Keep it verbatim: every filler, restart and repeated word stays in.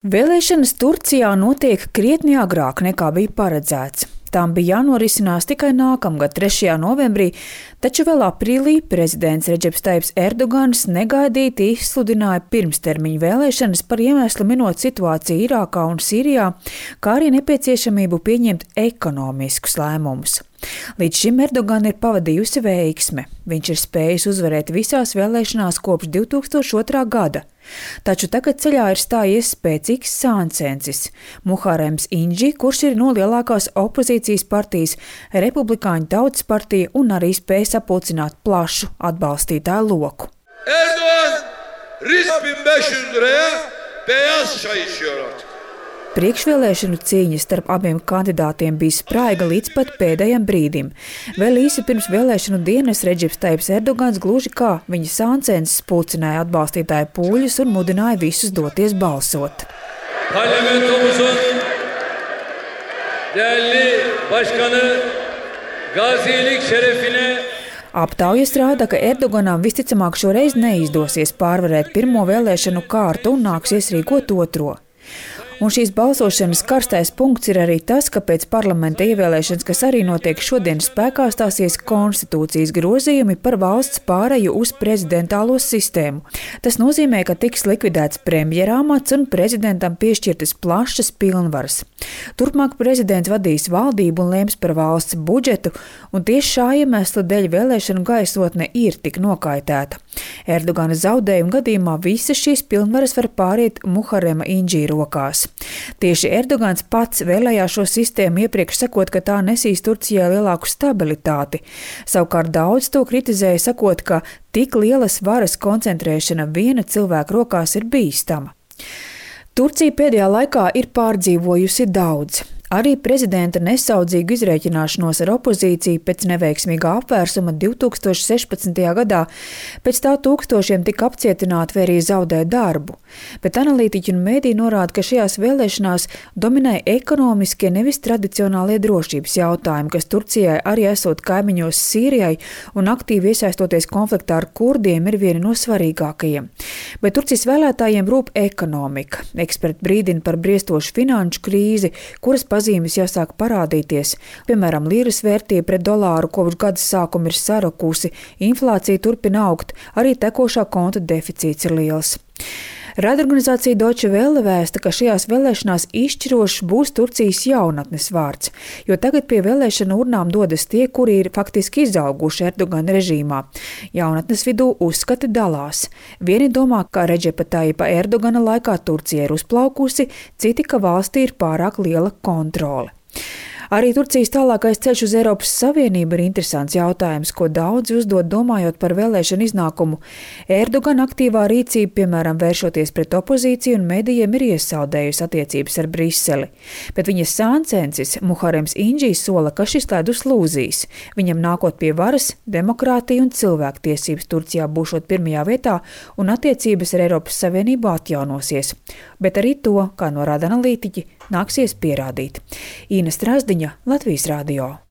Vēlēšanas Turcijā notiek krietni agrāk nekā bija paredzēts. Tām bija jānorisinās tikai nākamgad, trešajā novembrī, taču vēl aprīlī prezidents Redžeps Tajibs Erdogans negaidīti izsludināja pirmstermiņu vēlēšanas par iemeslu minot situāciju Irākā un Sīrijā, kā arī nepieciešamību pieņemt ekonomiskus lēmumus. Līdz šim Erdogan ir pavadījusi veiksme. Viņš ir spējis uzvarēt visās vēlēšanās kopš divi tūkstoši otrā gada. Taču tagad ceļā ir stājies spēcīgs sāncensis – Muharems Inģi, kurš ir no lielākās opozīcijas partijas, Republikāņu Tautas partija un arī spēj sapulcināt plašu atbalstītāju loku. Erdogan bin beş yüz liraya beyaz çay içiyor artık. Priekšvēlēšanu cīņa starp abiem kandidātiem bija spraiga līdz pat pēdējam brīdim. Vēl īsi pirms vēlēšanu dienas Redžeps Tajibs Erdogans gluži kā viņa sāncensis pulcināja atbalstītāju pūļus un mudināja visus doties balsot. Parlamentomuzun değerli başkanı gazilik şerefine Aptaujas rāda, ka Erdoganam visticamāk šoreiz neizdosies pārvarēt pirmo vēlēšanu kārtu un nāksies rīkot otro. Un šīs balsošanas karstais punkts ir arī tas, ka pēc parlamenta ievēlēšanas, kas arī notiek šodien, spēkā stāsies konstitūcijas grozījumi par valsts pāreju uz prezidentālo sistēmu. Tas nozīmē, ka tiks likvidēts premjerāmats un prezidentam piešķirtas plašas pilnvaras. Turpmāk prezidents vadīs valdību un lems par valsts budžetu, un tieši šā iemesla dēļ vēlēšanu gaisotne ir tik nokaitēta. Erdogana zaudējuma gadījumā visas šīs pilnvaras var pāriet Muharema Inģī rokās. Tieši Erdogans pats vēlējās šo sistēmu iepriekš sakot, ka tā nesīs Turcijai lielāku stabilitāti. Savukārt daudz to kritizēja, sakot, ka tik lielas varas koncentrēšana viena cilvēka rokās ir bīstama. Turcija pēdējā laikā ir pārdzīvojusi daudz. Arī prezidenta nesaudzīgu izrēķināšanos ar opozīciju pēc neveiksmīgā apvērsuma divi tūkstoši sešpadsmitajā gadā, pēc tā tūkstošiem tika apcietināti vai arī zaudēja darbu. Bet analītiķi un mēdī norāda, ka šajās vēlēšanās dominēja ekonomiskie, nevis tradicionālie drošības jautājumi, kas Turcijai arī esot kaimiņos Sīrijai un aktīvi iesaistoties konfliktā ar kurdiem ir vieni no svarīgākajiem. Bet Turcijas vēlētājiem rūp ekonomika. Eksperti brīdina par briestošu finanšu krīzi, kuras pazīmes jāsāk parādīties. Piemēram, līras vērtība pret dolāru kopš gada sākuma ir sarukusi, inflācija turpina augt, arī tekošā konta deficīts ir liels. Raidorganizācija Deutsche Welle vēsta, ka šajās vēlēšanās izšķirošs būs Turcijas jaunatnes vārds, jo tagad pie vēlēšanu urnām dodas tie, kuri ir faktiski izauguši Erdogana režīmā. Jaunatnes vidū uzskati dalās. Vieni domā, ka Redžepa Tajipa Erdogana laikā Turcija ir uzplaukusi, citi, ka valstī ir pārāk liela kontrole. Arī Turcijas tālākais ceļš uz Eiropas Savienību ir interesants jautājums, ko daudzi uzdod domājot par vēlēšanu iznākumu. Erdogan aktīvā rīcība, piemēram, vēršoties pret opozīciju un medijiem, ir iesaldējusi attiecības ar Briseli. Bet viņa sāncensis Muharems Inģī sola, ka šis ledus lūzīs. Viņam nākot pie varas, demokrātija un cilvēktiesības Turcijā būšot pirmajā vietā un attiecības ar Eiropas Savienību atjaunosies. Bet arī to, kā norāda analītiķi, nāksies pierādīt. Īna Strasdiņa, Latvijas radio.